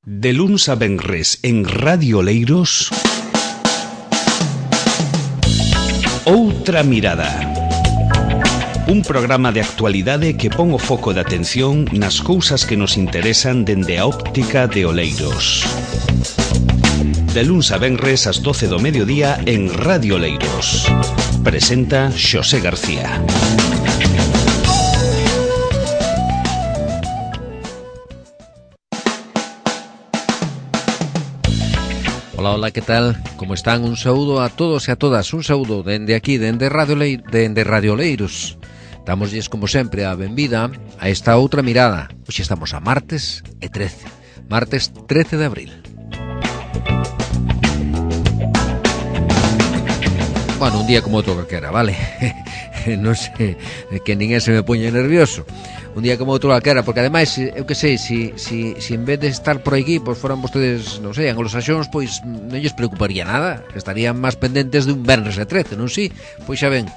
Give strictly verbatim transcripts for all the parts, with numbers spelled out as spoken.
De luns a venres en Radio Oleiros, Outra Mirada. Un programa de actualidade que pon o foco de atención nas cousas que nos interesan dende a óptica de Oleiros. De luns a venres ás doce do mediodía en Radio Oleiros. Presenta Xosé García. Hola, hola, ¿qué tal? ¿Cómo están? Un saúdo a todos e a todas. Un saúdo dende aquí, dende Radio, Le... dende Radio Oleiros. Damosles, como sempre, a benvida a esta outra mirada. Hoxe estamos a martes e trece. Martes trece de abril. Bueno, un día como outro calquera, vale? Non sei, que ninguén se me poña nervioso. Un día como outro calquera, porque ademais, eu que sei, si, si, si en vez de estar por aquí, pois foran vostedes, non sei, anglosaxóns, pois non lles preocuparía nada, estarían máis pendentes de un venres e trece, non si? Pois xa ven,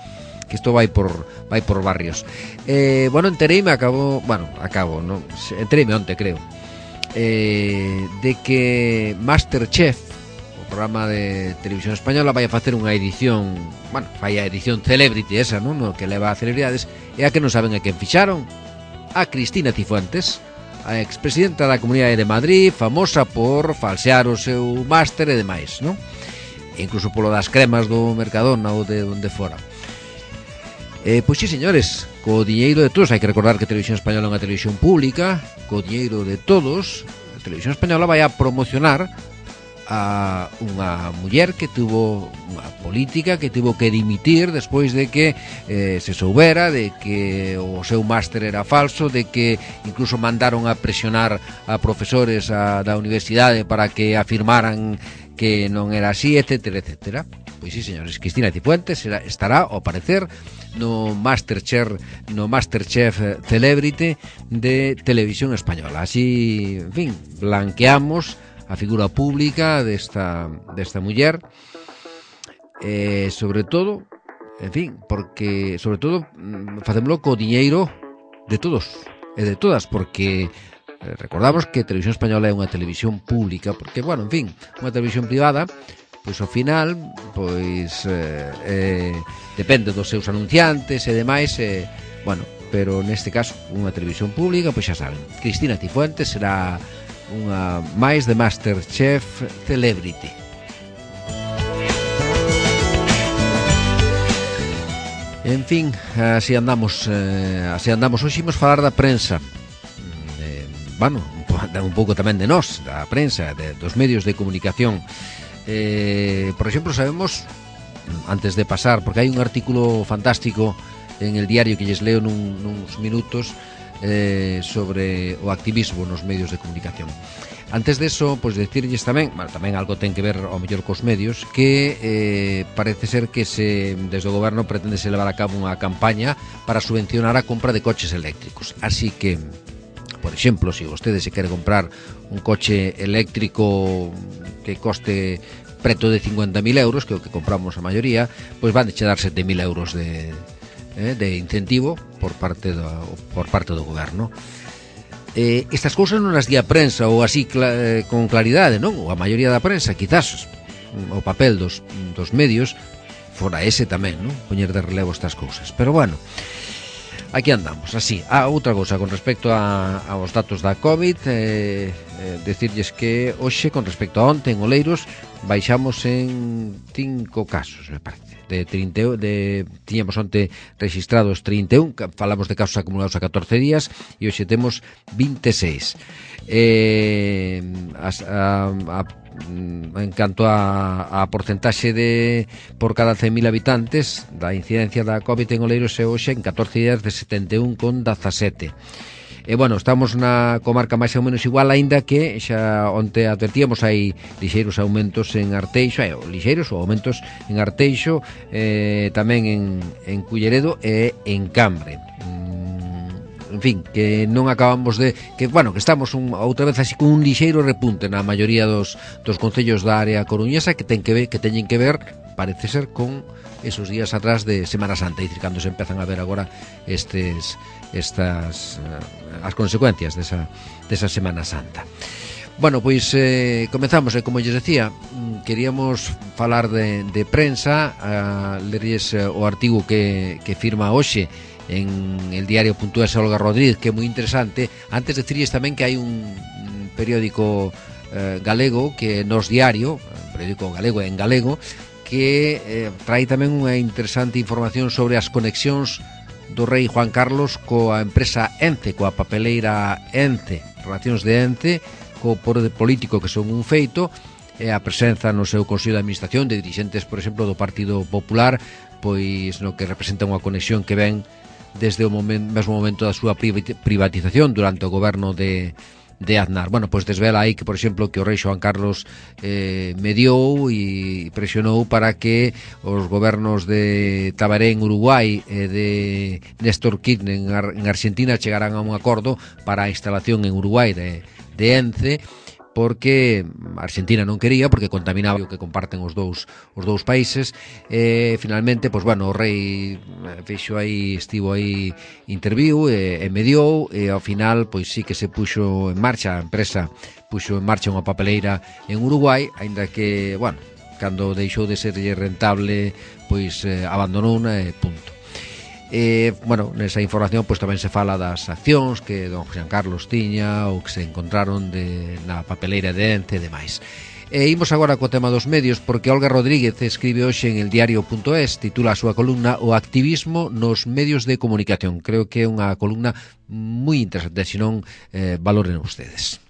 que isto vai por vai por barrios. Eh, bueno, entereime, acabo, bueno, acabo, non, entereime onte, creo, eh, de que Masterchef, o programa de televisión española, vai a facer unha edición, bueno, vai a edición Celebrity esa, non? No que leva a celebridades, e a que non saben a quen fixaron. A Cristina Cifuentes, a expresidenta da Comunidade de Madrid, famosa por falsear o seu máster e demais, non? E incluso polo das cremas do Mercadona ou de onde fora. Eh, pois sí, señores, co diñeiro de todos, hai que recordar que a Televisión Española é unha televisión pública, co diñeiro de todos, a Televisión Española vai a promocionar a unha muller que tuvo unha política que tuvo que dimitir despois de que eh, se soubera de que o seu máster era falso, de que incluso mandaron a presionar a profesores a, da universidade para que afirmaran que non era así, etcétera, etcétera. Pois sí, señores, Cristina Cifuentes estará, ao parecer, no Masterchef, no Masterchef Celebrity de Televisión Española. Así, en fin, blanqueamos a figura pública desta, desta muller, eh, sobre todo, en fin, porque, sobre todo, facémolo co diñeiro de todos e de todas, porque eh, recordamos que a Televisión Española é unha televisión pública, porque, bueno, en fin, unha televisión privada, pois ao final, pois eh, eh, depende dos seus anunciantes e demais, eh, bueno, pero neste caso, unha televisión pública, pois xa saben, Cristina Cifuentes será unha máis de Masterchef Celebrity. En fin, así andamos, eh, así andamos. Hoxe imos falar da prensa, eh, bueno, un pouco tamén de nós, da prensa, de, dos medios de comunicación. Eh, por exemplo, sabemos, antes de pasar, porque hai un artículo fantástico en el diario que lles leo nun, nuns minutos, Eh, sobre o activismo nos medios de comunicación. Antes de eso, pois pues, decirlles tamén, bueno, tamén algo ten que ver ao mellor cos medios, que eh, parece ser que se desde o goberno pretende se levar a cabo unha campaña para subvencionar a compra de coches eléctricos. Así que, por exemplo, se si vostede se quere comprar un coche eléctrico que coste preto de cincuenta mil euros, que é o que compramos a maioría, pois van de che dar sete mil euros de Eh, de incentivo por parte do, por parte do goberno. Eh, estas cousas non as di a prensa ou así cla, eh, con claridade, non? Ou a maioría da prensa, quizás o papel dos, dos medios fora ese tamén, non? Poñer de relevo estas cousas. Pero bueno, aquí andamos, así. Ah, outra cousa con respecto a, aos datos da COVID, eh, eh, decirlles que hoxe, con respecto a onte en Oleiros, baixamos en cinco casos, me parece. De trinta, de, tiñamos onte registrados trinta e un, falamos de casos acumulados a catorce días, e hoxe temos vinte e seis. Eh, a, a, a, en canto a, a porcentaxe de por cada cen mil habitantes da incidencia da COVID en Oleiros é hoxe en catorce días de setenta e un con dezasete. E, bueno, estamos na comarca máis ou menos igual, aínda que xa onte advertíamos hai lixeiros aumentos en Arteixo, hai lixeiros ou aumentos en Arteixo, eh, tamén en, en Culleredo e en Cambre. Mm, en fin, que non acabamos de... que, bueno, que estamos un, outra vez así con un lixeiro repunte na maioría dos, dos concellos da área coruñesa que ten que ver, que teñen que ver, parece ser, con esos días atrás de Semana Santa, é dicir, cando se empezan a ver agora estes estas as consecuencias desa, desa Semana Santa. Bueno, pois eh, comezamos, e como lles decía, queríamos falar de, de prensa, a leries o artigo que, que firma hoxe en el diario punto es Olga Rodríguez, que é moi interesante. Antes decirles tamén que hai un, un periódico eh, galego, que é Nos Diario, un periódico galego en galego, que eh, trae tamén unha interesante información sobre as conexións do rei Juan Carlos coa empresa Ence, coa papeleira Ence, relacións de Ence, co poder político que son un feito, e a presenza no seu Consello de Administración de dirixentes, por exemplo, do Partido Popular, pois no que representa unha conexión que ven desde o momento, mesmo momento da súa privatización durante o goberno de, de Aznar. Bueno, pois desvela aí que, por exemplo, que o rei Juan Carlos eh, mediou e presionou para que os gobernos de Tabaré en Uruguai e de Néstor Kirchner en, Ar en Argentina chegaran a un acordo para a instalación en Uruguai de de Ence, porque Argentina non quería, porque contaminaba o que comparten os dous os dous países. E finalmente, pois bueno, o rei fixo aí, estivo aí, interviu e, e mediou, e ao final pois sí que se puxo en marcha, a empresa puxo en marcha unha papeleira en Uruguai, aínda que, bueno, cando deixou de ser rentable, pois eh, abandonou e punto. E, bueno, nesa información pois tamén se fala das accións que don Juan Carlos tiña ou que se encontraron de, na papeleira de Ence e demais. E imos agora co tema dos medios, porque Olga Rodríguez escribe hoxe en el diario punto es, titula a súa columna O activismo nos medios de comunicación. Creo que é unha columna moi interesante, se non eh, valoren ustedes.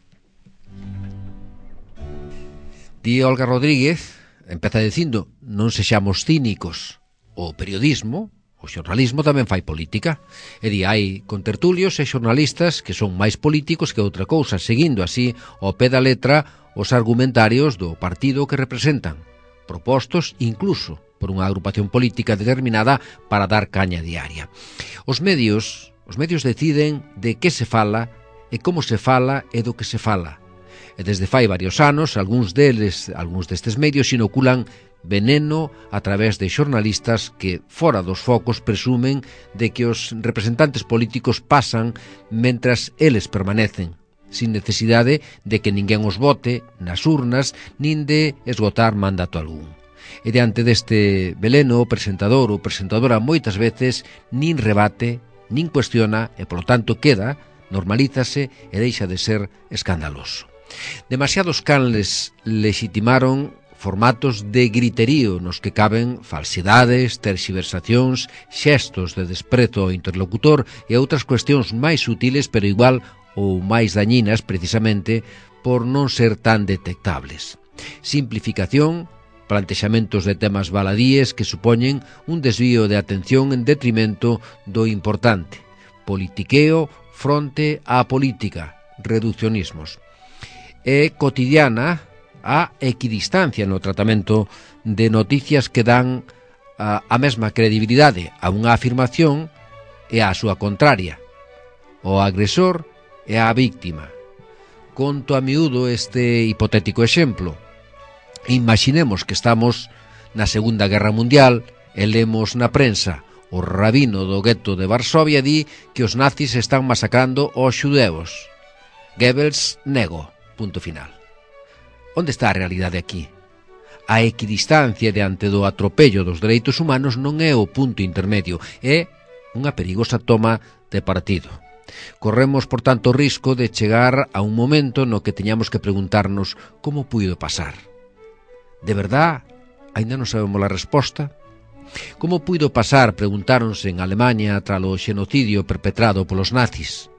Di Olga Rodríguez, empeza dicindo, non sexamos cínicos, o periodismo, o xornalismo tamén fai política. E di, hai contertulios e xornalistas que son máis políticos que outra cousa, seguindo así ao pé da letra os argumentarios do partido que representan, propostos incluso por unha agrupación política determinada para dar caña diaria. Os medios, os medios deciden de que se fala e como se fala e do que se fala. E desde fai varios anos, algúns deles, algúns destes medios inoculan veneno a través de xornalistas que, fora dos focos, presumen de que os representantes políticos pasan mentras eles permanecen, sin necesidade de que ninguén os vote nas urnas, nin de esgotar mandato algún. E diante deste veleno, o presentador ou presentadora moitas veces nin rebate, nin cuestiona, e polo tanto queda, normalízase e deixa de ser escandaloso. Demasiados canles legitimaron formatos de griterío nos que caben falsidades, terxiversacións, xestos de desprezo ao interlocutor e outras cuestións máis sutiles, pero igual ou máis dañinas precisamente por non ser tan detectables. Simplificación, plantexamentos de temas baladíes que supoñen un desvío de atención en detrimento do importante. Politiqueo fronte á política, reduccionismos. É cotidiana a equidistancia no tratamento de noticias que dan a, a mesma credibilidade a unha afirmación e a súa contraria, o agresor e a víctima. Conto a miúdo este hipotético exemplo. Imaginemos que estamos na Segunda Guerra Mundial e lemos na prensa o rabino do gueto de Varsovia di que os nazis están masacrando aos xudeus. Goebbels nego, punto final. Onde está a realidade aquí? A equidistancia diante do atropello dos dereitos humanos non é o punto intermedio, é unha perigosa toma de partido. Corremos, por tanto, o risco de chegar a un momento no que teñamos que preguntarnos como puido pasar. De verdad, aínda non sabemos a resposta? Como puido pasar, preguntáronse en Alemanha tralo xenocidio perpetrado polos nazis.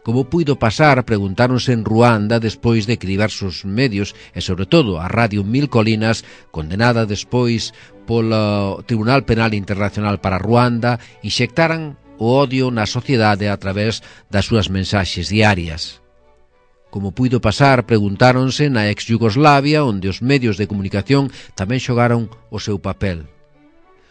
Como puido pasar, preguntáronse en Ruanda despois de que diversos medios, e sobre todo a Radio Mil Colinas, condenada despois polo Tribunal Penal Internacional para Ruanda, inxectaran o odio na sociedade a través das súas mensaxes diarias. Como puido pasar, preguntáronse na ex-Yugoslavia, onde os medios de comunicación tamén xogaron o seu papel.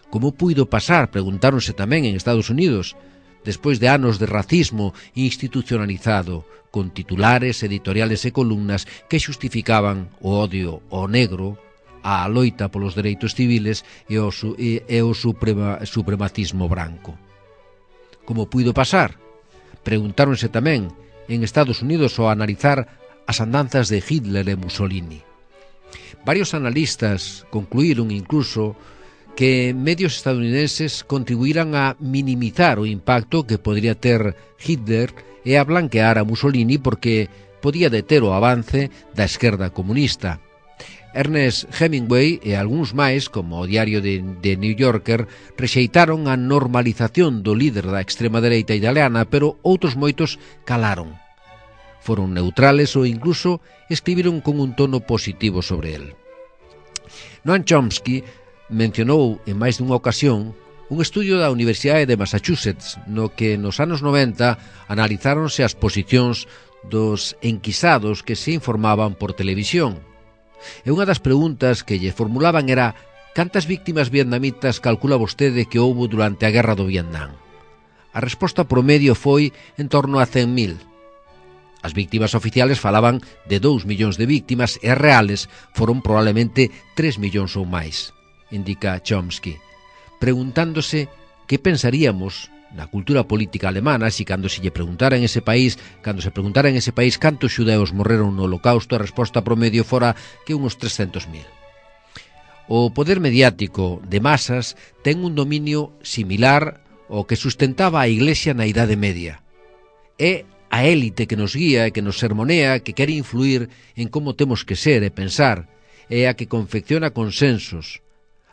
Como puido pasar, preguntáronse tamén en Estados Unidos, despois de anos de racismo institucionalizado, con titulares, editoriales e columnas que xustificaban o odio ao negro, a loita polos dereitos civiles e o, su, e, e o suprema, supremacismo branco. Como puido pasar? Preguntáronse tamén en Estados Unidos ao analizar as andanzas de Hitler e Mussolini. Varios analistas concluíron incluso que medios estadounidenses contribuíran a minimizar o impacto que podría ter Hitler e a blanquear a Mussolini porque podía deter o avance da esquerda comunista. Ernest Hemingway e algúns máis, como o diario de, de New Yorker, rexeitaron a normalización do líder da extrema dereita italiana, pero outros moitos calaron. Foron neutrales ou incluso escribiron con un tono positivo sobre el. Noam Chomsky mencionou en máis dunha ocasión un estudio da Universidade de Massachusetts no que nos anos noventa analizáronse as posicións dos enquisados que se informaban por televisión. E unha das preguntas que lle formulaban era: cantas víctimas vietnamitas calcula vostede que houbo durante a guerra do Vietnam? A resposta promedio foi en torno a cen mil. As víctimas oficiales falaban de dous millóns de víctimas e reales foron probablemente tres millóns ou máis, indica Chomsky, preguntándose que pensaríamos na cultura política alemana se cando se lle preguntara en ese país, cando se preguntara en ese país cantos xudeus morreron no Holocausto, a resposta promedio fora que uns trescentos mil. O poder mediático de masas ten un dominio similar ao que sustentaba a Iglesia na Idade Media. É a élite que nos guía e que nos sermonea, que quere influir en como temos que ser e pensar, é a que confecciona consensos.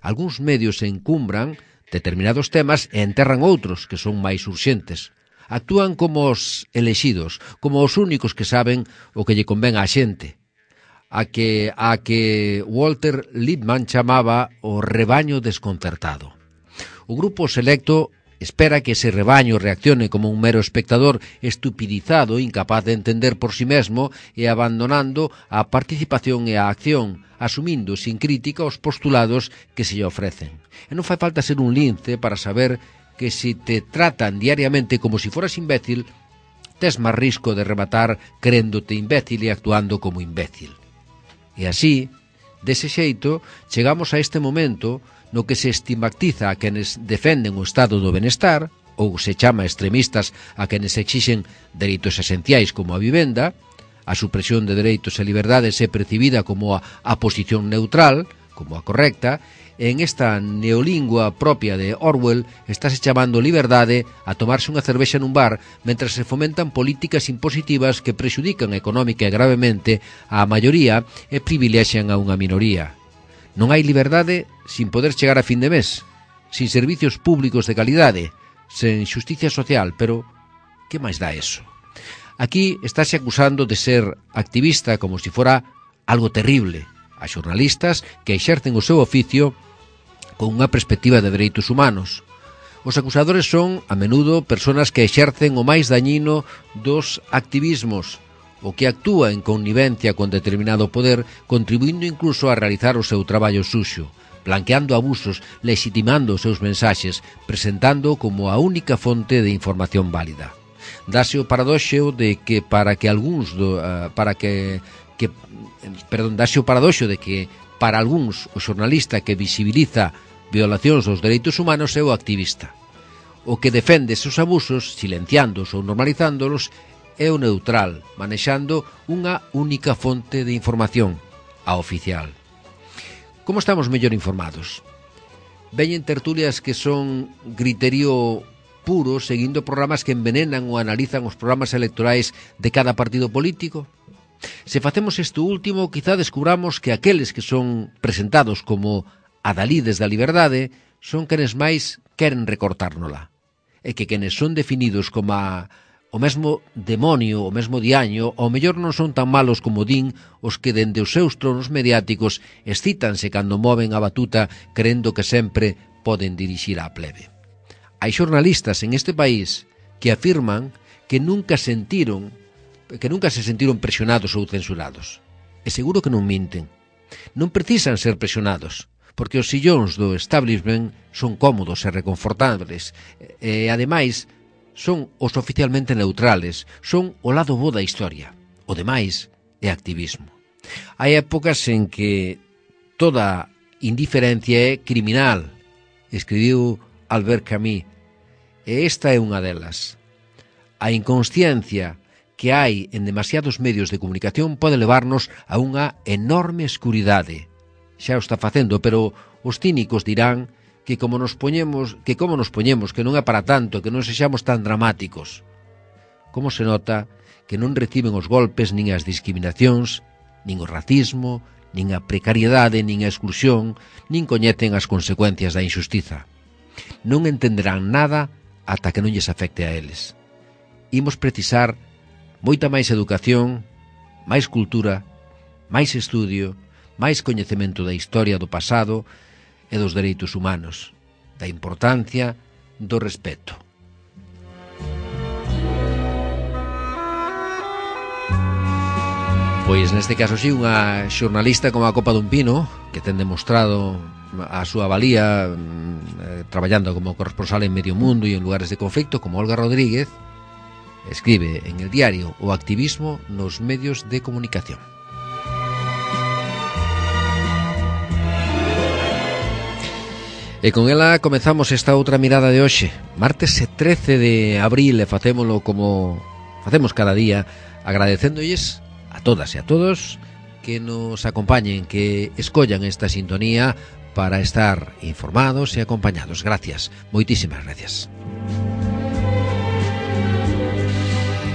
Algúns medios se encumbran determinados temas e enterran outros que son máis urxentes. Actúan como os elexidos, como os únicos que saben o que lle convén á xente. A que, a que Walter Lippmann chamaba o rebaño desconcertado. O grupo selecto espera que ese rebaño reaccione como un mero espectador estupidizado, incapaz de entender por si mesmo e abandonando a participación e a acción, asumindo sin crítica os postulados que se lle ofrecen. E non fai falta ser un lince para saber que se te tratan diariamente como si foras imbécil, tes máis risco de rematar créndote imbécil e actuando como imbécil. E así, dese xeito, chegamos a este momento no que se estigmatiza a quenes defenden o estado do benestar, ou se chama extremistas a quenes exixen dereitos esenciais como a vivenda. A supresión de dereitos e liberdades é percibida como a, a posición neutral, como a correcta, e en esta neolingua propia de Orwell estáse chamando liberdade a tomarse unha cervexa nun bar mentre se fomentan políticas impositivas que prexudican económica e gravemente á maioría e privilexian a unha minoría. Non hai liberdade sin poder chegar a fin de mes, sin servicios públicos de calidade, sen xusticia social, pero que máis dá eso? Aquí estáse acusando de ser activista como si fora algo terrible a xornalistas que exercen o seu oficio con unha perspectiva de dereitos humanos. Os acusadores son, a menudo, persoas que exercen o máis dañino dos activismos, o que actúa en connivencia con determinado poder, contribuindo incluso a realizar o seu traballo suxo, blanqueando abusos, legitimando os seus mensaxes, presentando como a única fonte de información válida. Dase o paradoxo de que para que algúns do, uh, para que, que perdón, dase o paradoxo de que para algúns o xornalista que visibiliza violacións dos dereitos humanos é o activista. O que defende esos abusos, silenciándoos ou normalizándolos, é o neutral, manexando unha única fonte de información, a oficial. Como estamos mellor informados? Veñen tertulias que son griterío puro, seguindo programas que envenenan ou analizan os programas electorais de cada partido político? Se facemos isto último, quizá descubramos que aqueles que son presentados como adalides da liberdade son quenes máis queren recortárnola, e que quenes son definidos como a o mesmo demonio, o mesmo diaño, ao mellor non son tan malos como din os que dende os seus tronos mediáticos excítanse cando moven a batuta crendo que sempre poden dirixir á plebe. Hai xornalistas en este país que afirman que nunca sentiron, que nunca se sentiron presionados ou censurados. E seguro que non minten. Non precisan ser presionados, porque os sillóns do establishment son cómodos e reconfortables, e, ademais, son os oficialmente neutrales, son o lado bo da historia. O demais é activismo. Hai épocas en que toda indiferencia é criminal, escribiu Albert Camus, e esta é unha delas. A inconsciencia que hai en demasiados medios de comunicación pode levarnos a unha enorme escuridade. Xa o está facendo, pero os cínicos dirán que como nos poñemos, que como nos poñemos, que non é para tanto, que non sexamos tan dramáticos. Como se nota que non reciben os golpes nin as discriminacións, nin o racismo, nin a precariedade, nin a exclusión, nin coñecen as consecuencias da injustiza. Non entenderán nada ata que non lles afecte a eles. Imos precisar moita máis educación, máis cultura, máis estudio, máis coñecemento da historia do pasado e dos dereitos humanos, da importancia do respeto. Pois neste caso sí, unha xornalista como a Copa dun Pino, que ten demostrado a súa valía eh, traballando como corresponsal en medio mundo e en lugares de conflicto, como Olga Rodríguez, escribe en el diario O activismo nos medios de comunicación. E con ela comezamos esta outra mirada de hoxe, martes trece de abril, e facémolo como facemos cada día, agradecéndolles a todas e a todos que nos acompañen, que escollan esta sintonía para estar informados e acompañados. Gracias, moitísimas gracias.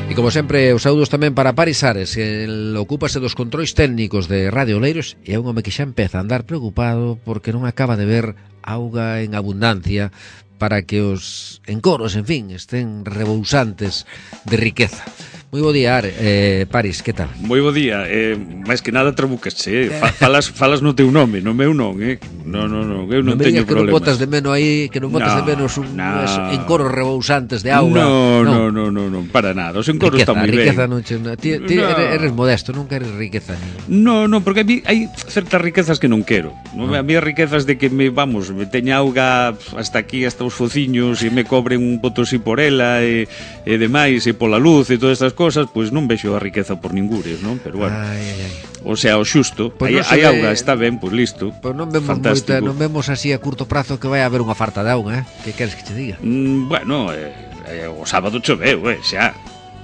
E como sempre, os saúdos tamén para Paris Ares, que ocúpase dos controis técnicos de Radio Oleiros, e é un home que xa empeza a andar preocupado porque non acaba de ver auga en abundancia para que os encoros, en fin, estén rebousantes de riqueza. Moi bo día, eh, Paris, que tal? Moi bo día, eh, máis que nada trabucaste, eh? falas, falas no teu nome, no meu non, eh? Non, non, non, eu non, non teño problemas. Que non botas de menos aí, que non botas no, de menos un, no. encoros rebousantes de auga. No, no, no, no, no, para nada, os encoros están moi ben. Riqueza non che... Ti, ti no. eres, eres modesto, non queres riqueza. Ni... No, no, porque a mí hai certas riquezas que non quero. No. A mí as riquezas de que me, vamos, me teña auga hasta aquí, hasta os fociños, e me cobren un potosí por ela, e, e demais, e pola luz, e todas estas cosas, pois non vexo a riqueza por ningures, non? Pero bueno, ai, ai, ai. O sea, o xusto, pues hai, no hai auga, está ben, pois listo. Pois non vemos moita, non vemos así a curto prazo que vai haber unha farta de auga, eh? Que queres que te diga? Mm, bueno, eh, eh, o sábado choveu, eh, xa.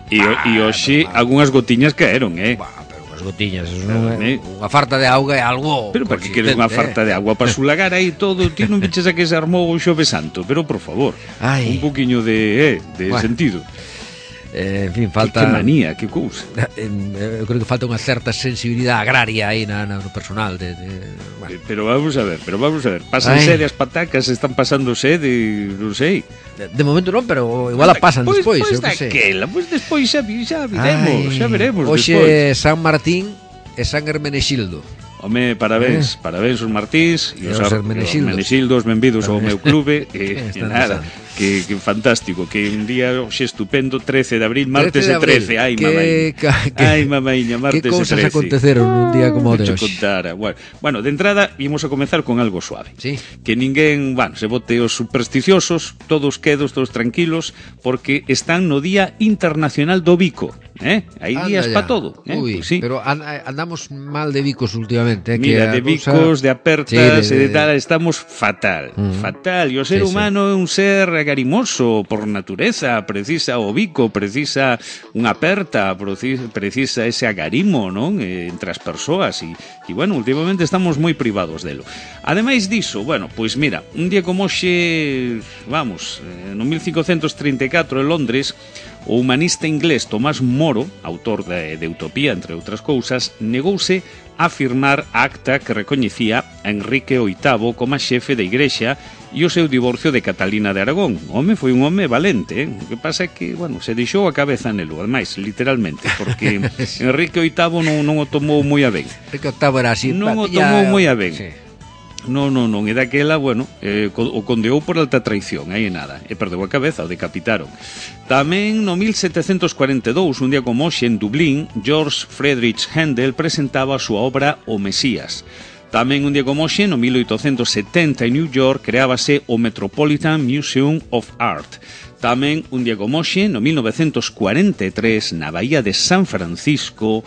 E ah, hoxe ah, algunhas gotiñas caeron, eh? Bah, pero unhas gotiñas, eso non é... Unha farta de auga é algo... Pero para que queres unha farta de auga? Para sulagar aí todo, ti non viches a que se armou o Xove Santo, pero por favor, ai. un poquinho de, eh, de bueno. sentido. Eh, en fin, falta... Que, que manía, que cousa. Eu creo que falta unha certa sensibilidade agraria aí na, na, no personal de, de, bueno. Pero vamos a ver, pero vamos a ver Pasan Ay. sede as patacas, están pasando sede, non sei. De, de momento non, pero igual a pasan pues, despois, pues, eu que sei. Pois pues despois xa, xa veremos, xa veremos Hoxe despois. San Martín e San Hermenexildo. Home, parabéns, eh? parabéns os Martins e os Hermenexildos, benvidos ao meu clube e, e nada, que, que fantástico, que un día xe estupendo, trece de abril, martes e trece, ai mamaíña, ai mamaíña, martes e trece. Que cousas aconteceron un día como o de hoxe? Bueno, bueno, de entrada ímos a comezar con algo suave, sí. Que ninguén, bueno, se bote os supersticiosos, todos quedos, todos tranquilos, porque están no Día Internacional do Bico. Eh? Hai días para todo, eh? Uy, pues sí. Pero and, andamos mal de bicos últimamente, eh? Mira, que de bicos, cosa... de apertas sí, de, de, de tal, estamos fatal, uh -huh. fatal. E o ser sí, humano sí. é un ser agarimoso por natureza, precisa o bico, precisa unha aperta, precisa ese agarimo, non? Entre as persoas e, e bueno, últimamente estamos moi privados delo. Ademais diso, bueno, pois mira, un día como hoxe, vamos, no mil cincocentos trinta e catro en Londres, o humanista inglés Tomás Moro, autor de, de Utopía, entre outras cousas, negouse a firmar a acta que recoñecía a Enrique oitavo como a xefe da Igrexa e o seu divorcio de Catalina de Aragón. O home foi un home valente, eh? O que pasa é que, bueno, se deixou a cabeza nelo, ademais, literalmente, porque Enrique oitavo non, non o tomou moi a ben. Enrique oitavo era así, non o tomou moi a ben. Sí. Non, non, non, e daquela, bueno, eh, o condeou por alta traición, aí nada, e perdeu a cabeza, o decapitaron. Tamén no mil setecentos cuarenta e dous, un día como hoxe, en Dublín, George Friedrich Händel presentaba a súa obra O Mesías. Tamén un día como hoxe, no mil oitocentos setenta, en New York, creábase o Metropolitan Museum of Art. Tamén un día como hoxe, no mil novecentos cuarenta e tres, na Bahía de San Francisco,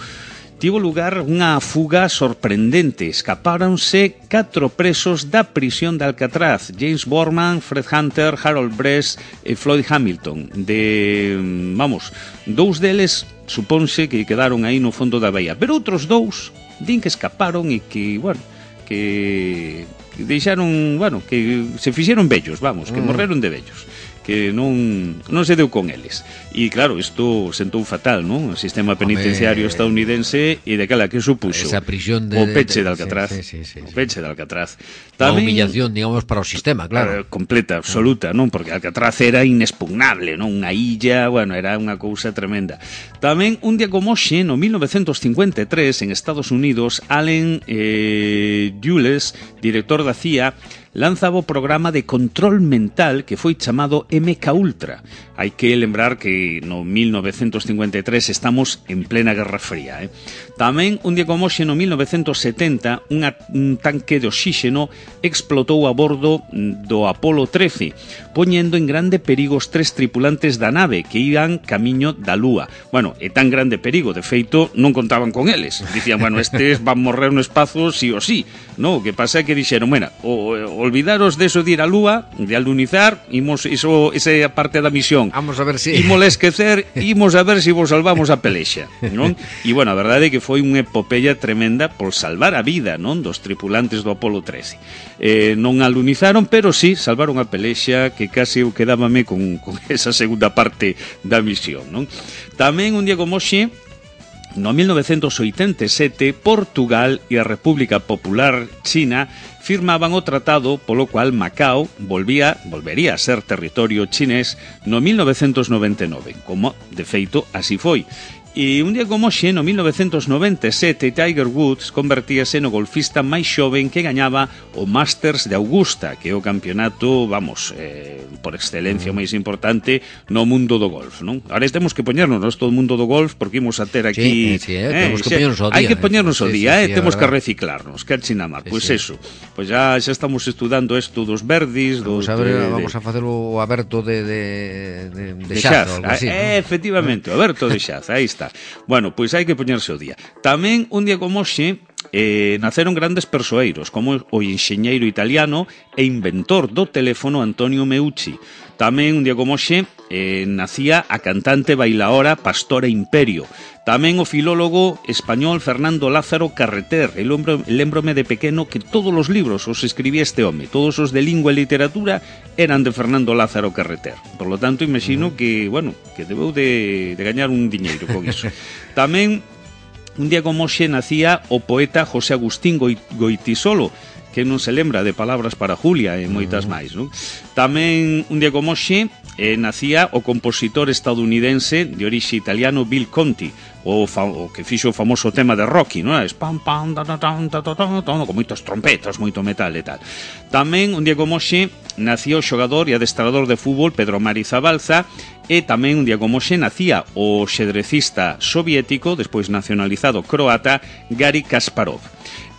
tivo lugar unha fuga sorprendente. Escapáronse catro presos da prisión de Alcatraz: James Borman, Fred Hunter, Harold Bress e Floyd Hamilton. De, vamos, dous deles supónse que quedaron aí no fondo da baía, pero outros dous din que escaparon e que, bueno, que, que deixaron, bueno, que se fixeron vellos, vamos, que mm. morreron de vellos, que non non se deu con eles. E claro, isto sentou fatal, non? O sistema penitenciario Home, estadounidense e daquela que supuxo esa prisión de, o peche de, de, de Alcatraz. Sí, sí, sí, sí, o peche de Alcatraz. Tamén, unha humillación, digamos, para o sistema, claro. Eh, completa, absoluta, non? Porque Alcatraz era inexpugnable, non? Unha illa, bueno, era unha cousa tremenda. Tamén, un día como hoxe, no mil novecentos cincuenta e tres, en Estados Unidos, Allen eh, Dulles, director da C I A, lanzaba o programa de control mental que foi chamado M K Ultra. Hai que lembrar que no mil novecentos cincuenta e tres estamos en plena Guerra Fría. Eh? Tamén, un día como hoxe, no mil novecentos setenta, unha, un tanque de oxígeno explotou a bordo do Apolo trece, poñendo en grande perigo os tres tripulantes da nave que iban camiño da Lúa. Bueno, é tan grande perigo, de feito, non contaban con eles. Dicían, bueno, estes van morrer no espazo sí o sí. No, o que pasa é que dixeron, bueno, o, o olvidaros de eso de ir a Lúa, de alunizar, imos, iso, esa é a parte da misión. Vamos a ver si... Imos a esquecer, imos a ver se si vos salvamos a pelexa, non? E, bueno, a verdade é que foi unha epopeya tremenda por salvar a vida, non? Dos tripulantes do Apolo trece. Eh, non alunizaron, pero sí salvaron a pelexa, que case eu quedábame con, con esa segunda parte da misión, non? Tamén, un día como hoxe, no mil novecentos oitenta e sete, Portugal e a República Popular China firmaban o tratado polo cual Macao volvía, volvería a ser territorio chinés no mil novecentos noventa e nove, como de feito así foi. E un día como hoxe, no mil novecentos noventa e sete, Tiger Woods convertíase no golfista máis xoven que gañaba o Masters de Augusta, que é o campeonato, vamos, eh, por excelencia o máis importante no mundo do golf, non? Ahora temos que poñernos todo o mundo do golf, porque imos a ter aquí... Sí, sí, eh, temos que poñernos ao día. Hai que poñernos ao sí, día, sí, eh, sí, temos que reciclarnos, que achina mar. Pois pues sí. Eso, pois pues ya, xa estamos estudando isto dos verdis, dos... Vamos a, ver, de, vamos a facer o aberto de, de, de, de, de Xaz, Xaz, así, eh, ¿no? Efectivamente, o aberto de Xaz, aí está. Bueno, pois hai que poñerse o día. Tamén, un día como hoxe, eh, naceron grandes persoeiros, como o enxeñeiro italiano e inventor do teléfono Antonio Meucci. Tamén, un día como hoxe, eh, nacía a cantante bailaora Pastora Imperio. Tamén o filólogo español Fernando Lázaro Carreter. E lembrome de pequeno que todos os libros os escribía este home. Todos os de lingua e literatura eran de Fernando Lázaro Carreter. Por lo tanto, imagino que, bueno, que debeu de, de gañar un diñeiro con iso. Tamén, un día como hoxe, nacía o poeta José Agustín Goitisolo, que non se lembra de Palabras para Julia e moitas máis, non? Tamén, un día como hoxe, eh, nacía o compositor estadounidense de orixe italiano Bill Conti, o, fa, o que fixo o famoso tema de Rocky, non? Es pam pam da da da da da da, con moitas trompetas, moito metal e tal. Tamén, un día como hoxe, nacía o xogador e adestrador de fútbol Pedro Mari Zabalza, e tamén, un día como hoxe, nacía o xedrecista soviético, despois nacionalizado croata, Gary Kasparov.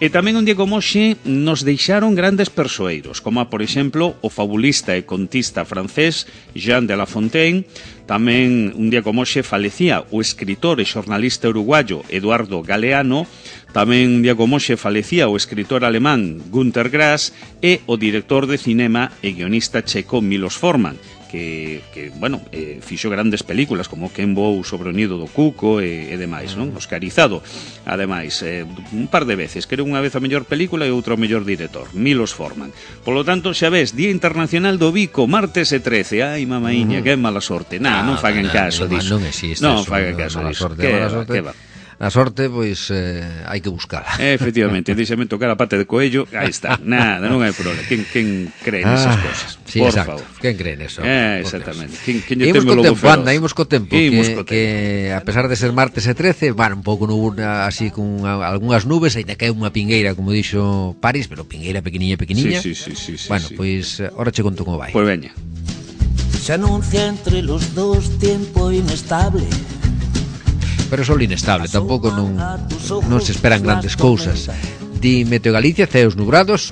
E tamén, un día como hoxe, nos deixaron grandes persoeiros, como, por exemplo, o fabulista e contista francés Jean de La Fontaine. Tamén, un día como hoxe, falecía o escritor e xornalista uruguayo Eduardo Galeano. Tamén, un día como hoxe, falecía o escritor alemán Günter Grass e o director de cinema e guionista checo Milos Forman, que, que bueno, eh, fixo grandes películas como Quen voou sobre o nido do cuco e, e demais, non? Oscarizado, ademais, eh, un par de veces, que era unha vez a mellor película e outra o mellor director, Milos Forman. Por lo tanto, xa ves, Día Internacional do Bico, martes e trece, ai, mamaíña, uh-huh. que mala sorte. Nah, non, non fagan no, caso no, disso. Non existe non eso, fagan caso disso. Sorte, que, sorte. que va. A sorte, pois, eh, hai que buscala. Efectivamente, deixame tocar a pata de coello, aí está, nada, non hai problema. Quen, quen cree nesas ah, cosas? Sí, por exacto. favor. Quen cree neso? Eh, exactamente. Quen, quen imos co tempo, anda, imos co tempo, que, co tempo. que a pesar de ser martes e trece, bueno, un pouco nubuna, así con algunhas nubes, ainda cae unha pingueira, como dixo París, pero pingueira pequeniña, pequeniña. Sí, sí, sí, sí, bueno, sí. pois, ahora che conto como vai. Pois veña. Se anuncia entre los dos tiempo inestable. Pero só inestable, tampouco non, non se esperan grandes cousas. Di Meteo Galicia, ceos nubrados,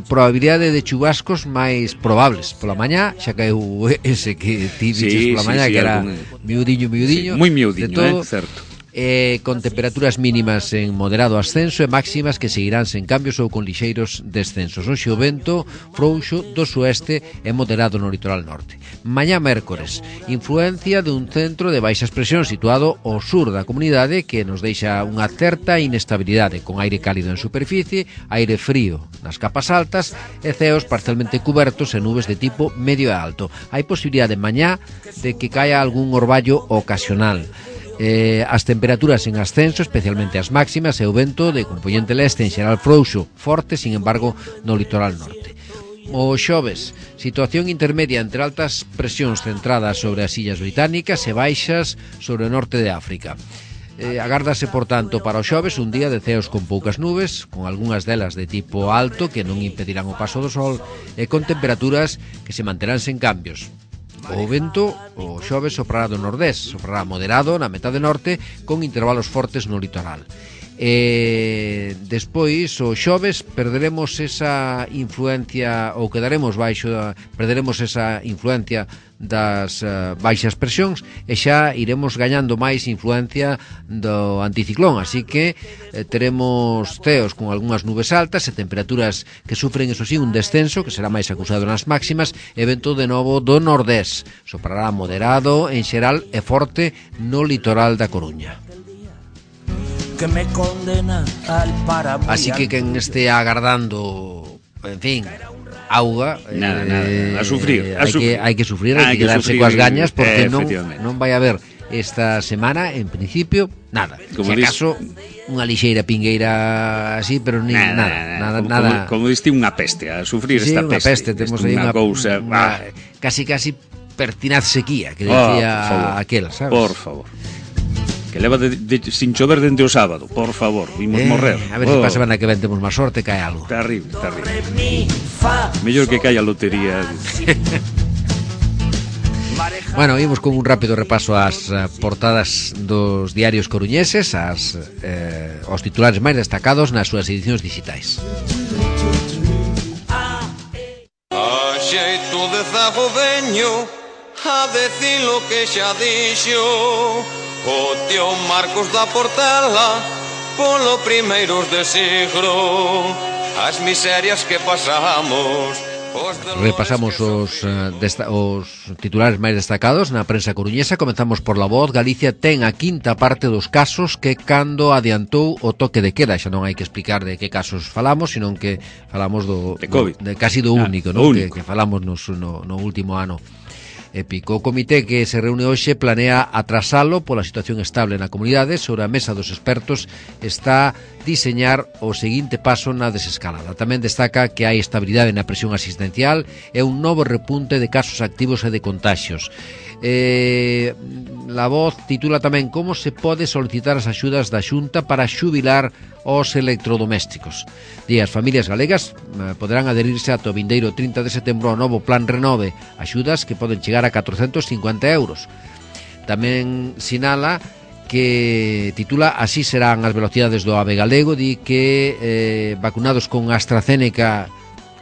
probabilidade de chubascos máis probables. Pola mañá xa caeu ese que ti dices sí, pola mañá, sí, sí, que era algún... miudiño, miudiño. Sí, moi miudiño, eh, certo. eh, con temperaturas mínimas en moderado ascenso e máximas que seguirán sen cambios ou con lixeiros descensos. Hoxe o vento frouxo do sueste e moderado no litoral norte. Mañá mércores, influencia dun centro de baixas presións situado ao sur da comunidade que nos deixa unha certa inestabilidade, con aire cálido en superficie, aire frío nas capas altas e ceos parcialmente cubertos e nubes de tipo medio e alto. Hai posibilidade mañá de que caia algún orballo ocasional. Eh, as temperaturas en ascenso, especialmente as máximas, e o vento de componente leste en xeral frouxo, forte, sin embargo, no litoral norte. O xoves, situación intermedia entre altas presións centradas sobre as illas británicas e baixas sobre o norte de África. Eh, agárdase, por tanto, para o xoves un día de ceos con poucas nubes, con algunhas delas de tipo alto que non impedirán o paso do sol e con temperaturas que se manterán sen cambios. O vento, o xoves, soprará do nordés, soprará moderado na metade norte con intervalos fortes no litoral. E despois, o xoves, perderemos esa influencia, ou quedaremos baixo, perderemos esa influencia das uh, baixas presións e xa iremos gañando máis influencia do anticiclón, así que eh, teremos ceos con algunhas nubes altas e temperaturas que sufren, eso sí, un descenso que será máis acusado nas máximas e vento de novo do nordés, soprará moderado en xeral e forte no litoral da Coruña. Que me condena al páramo. Así que quen este agardando, en fin, auga, nada, eh, nada, a sufrir, a hai sufrir. que hai que sufrir, hai que quedarse coas gañas porque eh, non non vai haber esta semana en principio nada. Como se acaso unha lixeira pingueira así, pero ni nada, nada, nada, como, nada. Como, como diste unha peste, a sufrir Sí, esta unha peste. peste, temos aí unha cousa, unha, casi casi pertinaz sequía que decía oh, aquel, sabes? Por favor. Que leva de, de, sin chover dende o sábado, por favor, vimos eh, morrer. A ver oh. se para a semana que ven temos máis sorte, cae algo. Terrible, terrible. Mellor que caia a lotería. Bueno, imos con un rápido repaso ás uh, portadas dos diarios coruñeses, as, eh, os titulares máis destacados nas súas edicións digitais. A xeito de zago veño a decir lo que xa dixo o tío Marcos da Portela polo primeiros de siglo, as miserias que pasamos. Repasamos os, uh, desta, os titulares máis destacados na prensa coruñesa. Comenzamos por La Voz. Galicia ten a quinta parte dos casos que cando adiantou o toque de queda. Xa non hai que explicar de que casos falamos, senón que falamos do, de COVID, do, de casi do ah, único, no? único. Que, que falamos nos, no, no último ano. Épico. O comité que se reúne hoxe planea atrasalo pola situación estable na comunidade. Sobre a mesa dos expertos está diseñar o seguinte paso na desescalada. Tamén destaca que hai estabilidade na presión asistencial e un novo repunte de casos activos e de contaxios. Eh, La Voz titula tamén como se pode solicitar as axudas da Xunta para xubilar os electrodomésticos. Di, as familias galegas eh, poderán adherirse ata o vindeiro trinta de setembro ao novo Plan Renove, axudas que poden chegar a catrocentos cincuenta euros. Tamén sinala que titula Así serán as velocidades do AVE galego. Di que eh, vacunados con AstraZeneca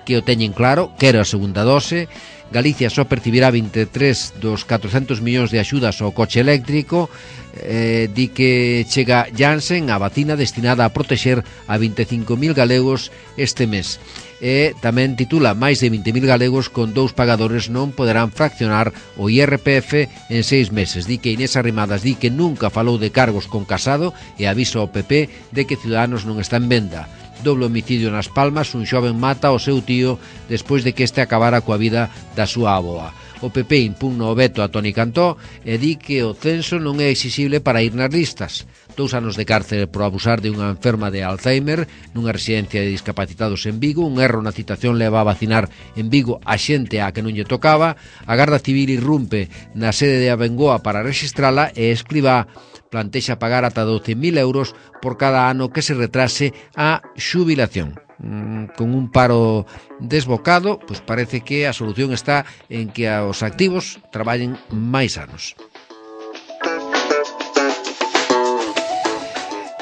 que o teñen claro, quero a segunda dose. Galicia só percibirá veintitrés dos catrocentos millóns de axudas ao coche eléctrico. Eh, di que chega Janssen, a vacina destinada a protexer a veinticinco mil galegos este mes. E tamén titula máis de vinte mil galegos con dous pagadores non poderán fraccionar o I R P F en seis meses. Di que Inés Arrimadas di que nunca falou de cargos con Casado e avisa ao P P de que Ciudadanos non está en venda. Doble homicidio nas Palmas, un xoven mata ao seu tío despois de que este acabara coa vida da súa avoa. O P P impugna o veto a Toni Cantó e di que o censo non é exixible para ir nas listas. Dous anos de cárcel por abusar de unha enferma de Alzheimer nunha residencia de discapacitados en Vigo. Un erro na citación leva a vacinar en Vigo a xente a que non lle tocaba. A Garda Civil irrumpe na sede de Abengoa para rexistrala e Escribá plantexa pagar ata doce mil euros por cada ano que se retrase a xubilación. Mm, con un paro desbocado, pois parece que a solución está en que os activos traballen máis anos.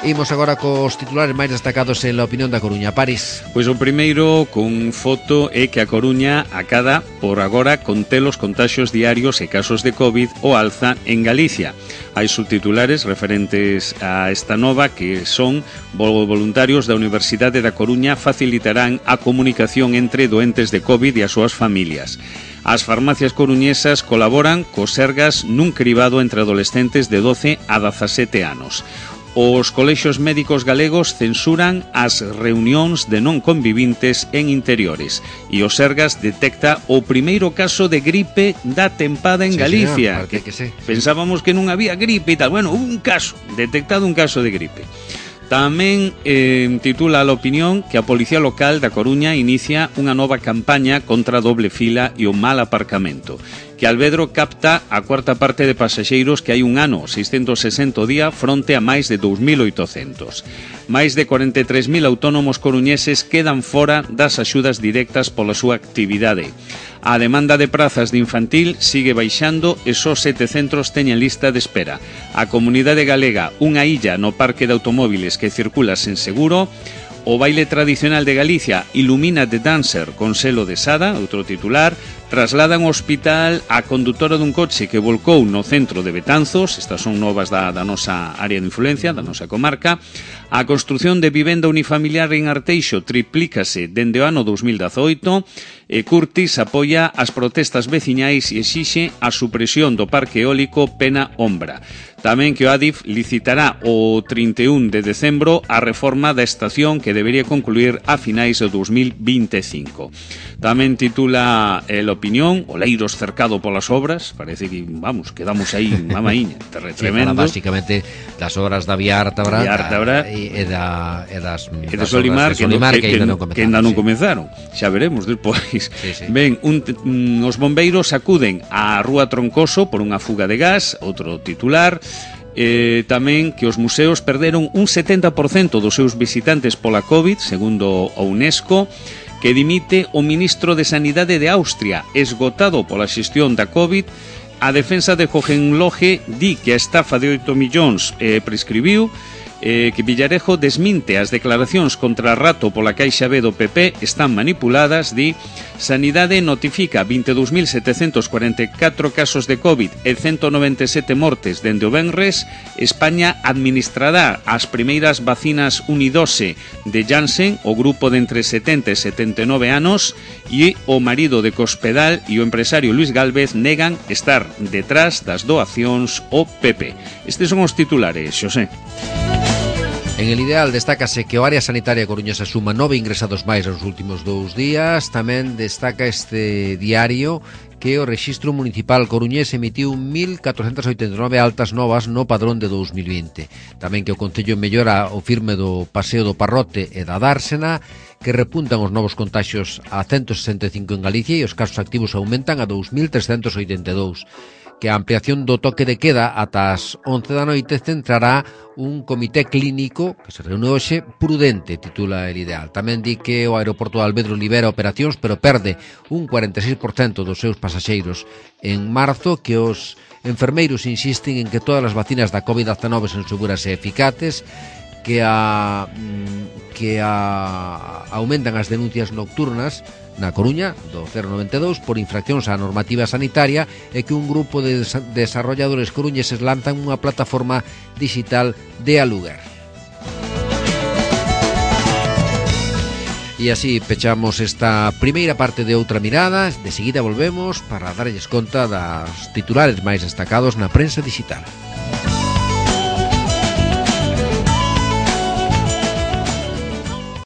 Imos agora cos titulares máis destacados en la opinión da Coruña. París. Pois o primeiro con foto é que a Coruña acada por agora conter os contaxios diarios e casos de COVID o alza en Galicia. Hai subtitulares referentes a esta nova que son: voluntarios da Universidade da Coruña facilitarán a comunicación entre doentes de COVID e as súas familias. As farmacias coruñesas colaboran cos Sergas nun cribado entre adolescentes de doce a dezasete anos. Os colexios médicos galegos censuran as reunións de non convivintes en interiores e o Sergas detecta o primeiro caso de gripe da tempada en sí, Galicia. Señor, que, que sí. Pensábamos que non había gripe e tal. Bueno, un caso, detectado un caso de gripe. Tamén eh, titula a opinión que a Policía Local da Coruña inicia unha nova campaña contra a doble fila e o mal aparcamento. Que Alvedro capta a cuarta parte de pasaxeiros que hai un ano, seiscentos sesenta día, fronte a máis de dous mil oitocentos. Máis de cuarenta e tres mil autónomos coruñeses quedan fora das axudas directas pola súa actividade. A demanda de prazas de infantil sigue baixando e só sete centros teñen lista de espera. A comunidade galega, unha illa no parque de automóviles que circula sen seguro. O baile tradicional de Galicia ilumina The Dancer con selo de Sada, outro titular. Trasladan ao hospital a condutora dun coche que volcou no centro de Betanzos. Estas son novas da, da nosa área de influencia, da nosa comarca. A construción de vivenda unifamiliar en Arteixo triplícase dende o ano dos mil dezoito. E Curtis apoia as protestas veciñais e exixe a supresión do parque eólico Pena Ombra. Tamén que o Adif licitará o trinta e un de decembro a reforma da estación que debería concluir a finais do dos mil vinte e cinco. Tamén titula el opinión, Oleiros cercado polas obras. Parece que, vamos, quedamos aí mamaíña, tremendo. Sí, básicamente das obras da Vía Ártabra e, e, da, e das, e de Solimar, que, Solimar que, que, que, que, que ainda non comenzaron. Xa veremos despois. Sí, sí. Ben, un, un, os bombeiros acuden á Rúa Troncoso por unha fuga de gas, outro titular. Eh, tamén que os museos perderon un setenta por cento dos seus visitantes pola COVID, segundo a UNESCO. Que dimite o ministro de Sanidade de Austria, esgotado pola xestión da COVID. A defensa de Hohenlohe di que a estafa de oito millóns eh, prescribiu. Eh, que Villarejo desminte as declaracións contra Rato pola Caixa B do P P están manipuladas. Di: Sanidade notifica vinte e dous mil setecentos cuarenta e catro casos de COVID e ciento noventa e sete mortes dende o venres. España administrará as primeiras vacinas unidose de Janssen, o grupo de entre setenta e setenta e nove anos, e o marido de Cospedal e o empresario Luis Gálvez negan estar detrás das doacións ao P P. Estes son os titulares, Xosé. En El Ideal destácase que o área sanitaria coruñesa suma nove ingresados máis nos últimos dous días. Tamén destaca este diario que o Rexistro Municipal coruñés emitiu mil catrocentas oitenta e nove altas novas no padrón de dous mil vinte. Tamén que o Concello mellora o firme do Paseo do Parrote e da Dársena, que repuntan os novos contaxios a ciento sesenta e cinco en Galicia e os casos activos aumentan a dous mil trescentos oitenta e dous. Que a ampliación do toque de queda ata as once da noite centrará un comité clínico que se reúne hoxe prudente, titula El Ideal. Tamén di que o aeroporto de Alvedro libera operacións, pero perde un cuarenta e seis por cento dos seus pasaxeiros en marzo, que os enfermeiros insisten en que todas as vacinas da COVID diecinueve son seguras e eficaces, que a que a aumentan as denuncias nocturnas na Coruña do cero noventa e dous por infraccións á normativa sanitaria e que un grupo de desarrolladores coruñeses lanzan unha plataforma digital de aluguer. E así pechamos esta primeira parte de Outra Mirada. De seguida volvemos para darlles conta das titulares máis destacados na prensa digital.